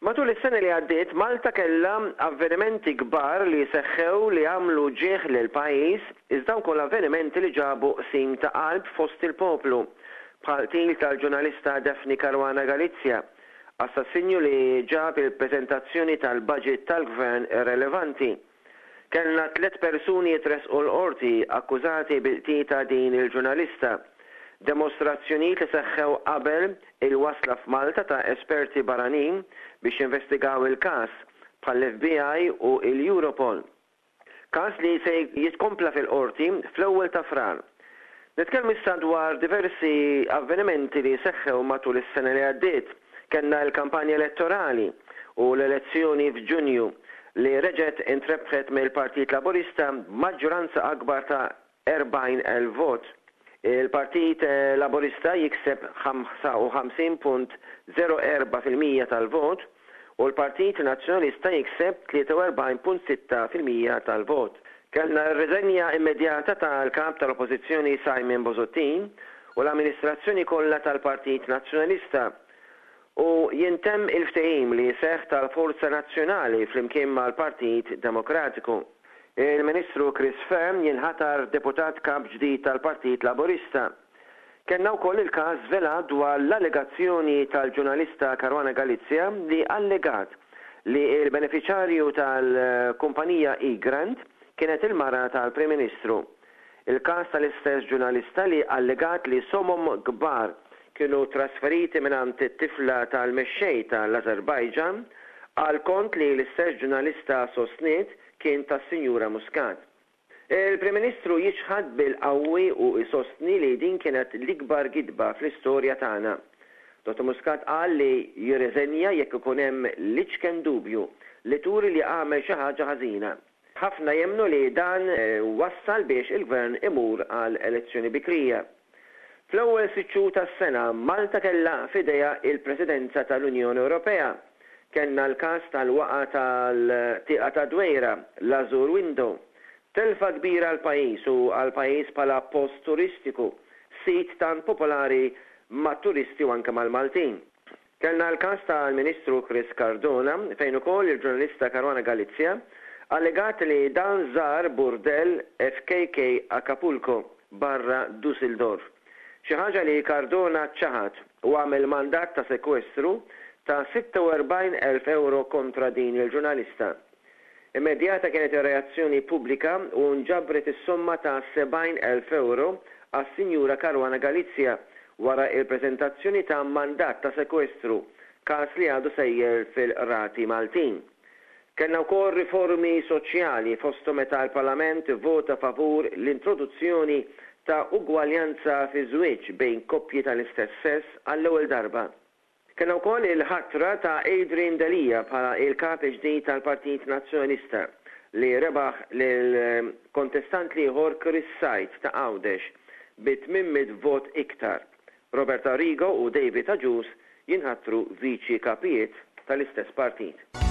Matul is-sena li għaddiet Malta kellha avvenimenti kbar li seħħew li għamlu ġieħ lill-pajjiż iżda wkoll avvenimenti li ġabu qsim ta' qalb fost il-poplu bħal qtil tal-ġurnalista Daphne Caruana Galizia, assassinju li ġab il-preżentazzjoni tal-budget tal-Gvern irrelevanti. Kellna tlett persuni jitressqu l-Qorti akkużati bil-qtil ta' din il-ġurnalista. Demostrazzjonijiet li seħħew qabel il-wasla f'Malta ta' esperti barranin biex jinvestigaw il-każ, bħall-FBI u l-Europol. Każ li se jitkompla fil-Qorti fl-ewwel ta' Frar. Nitkellmu issa dwar diversi avvenimenti li seħħew matul is-sena li għaddiet. Kellna l-kampanja elettorali u l-elezzjoni f'Ġunju li reġgħet intrebħet mill-Partit Laburista b'maġġoranza akbar ta' 40,000 vot. Il-Partit Laburista jikseb 55.04% tal-vot u l-Partit Nazzjonalista jikseb 43.6% tal-vot. Kellna r-riżenja immedjata tal-Kap tal-Oppożizzjoni Simon Busuttil u l-amministrazzjoni kollha tal-Partit Nazzjonalista u jintemm il-ftehim li seħħ tal-Forza Nazzjonali flimkien mal-Partit Demokratiku. Il-Ministru Chris Fearne jinħatar Deputat Kap ġdid tal-Partit Laburista. Kellna wkoll il-każ żvelat dwar l-allegazzjoni tal-ġurnalista Caruana Galizia li allegat li l-benefiċarju tal-kumpanija Egrant kienet il-mara tal-Prim Ministru. Il-każ tal-istess ġurnalista li allegat li somom kbar kienu trasferiti mingħand it-tifla tal-mexxej tal-Azerbaijan għal kont li l-istess ġurnalista sostniet kien tas-Sinjura Muscat. Il-Prim Ministru jiċħad bil-qawwi u jsostni li din kienet l-ikbar gidba fl-istorja tagħna. Dottor Muscat qal li jirriżenja jekk ikun hemm l-iċken dubju li turi li għamel xi ħaġa ħażina. Ħafna jemmnu li dan wassal biex il-Gvern imur għal elezzjoni bikrija. Fl-ewwel sitt xhur tas-sena, Malta kellha f'idejha il-Presidenza tal-Unjoni Ewropea. Kellna l-każ tal-waqgħa tal-Tieqa tad-Dwejra, l-Azure Window. Telfa kbira għall-pajjiż u għall-pajjiż bħala post turistiku, sit tant popolari mat-turisti u anke mal-Maltin. Kellna l-każ tal-Ministru Chris Cardona fejn ukoll il-ġurnalista Caruana Galizia allegat li dan żar burdell FKK Acapulco barra Dusseldorf. Xi ħaġa li Cardona ċaħad u għamel mandat ta' sekwestru ta' 46,000 ewro kontra din il-ġurnalista. Immedjata kienet ir-reazzjoni pubblika u nġabret is-somma ta' 70,000 ewro għas-Sinjura Caruana Galizia wara il-preżentazzjoni ta' mandat ta' sekwestru, każ li għadu sejjer fil-Qrati Maltin. Kellna wkoll riformi soċjali fosthom meta l-Parlament ivvota favur l-introduzzjoni ta' ugwaljanza fiż-żwieġ bejn koppji tal-istess sess għall-ewwel darba. Kellna wkoll il-ħatra ta' Adrian Delia bħala il-Kap il-ġdid tal-Partit Nazzjonalista li rebaħ lill-kontestant l-ieħor Chris Said ta' Għawdex bi 800 vot iktar. Robert Arrigo u David Agius jinħatru Viċi Kapijiet tal-istess partit.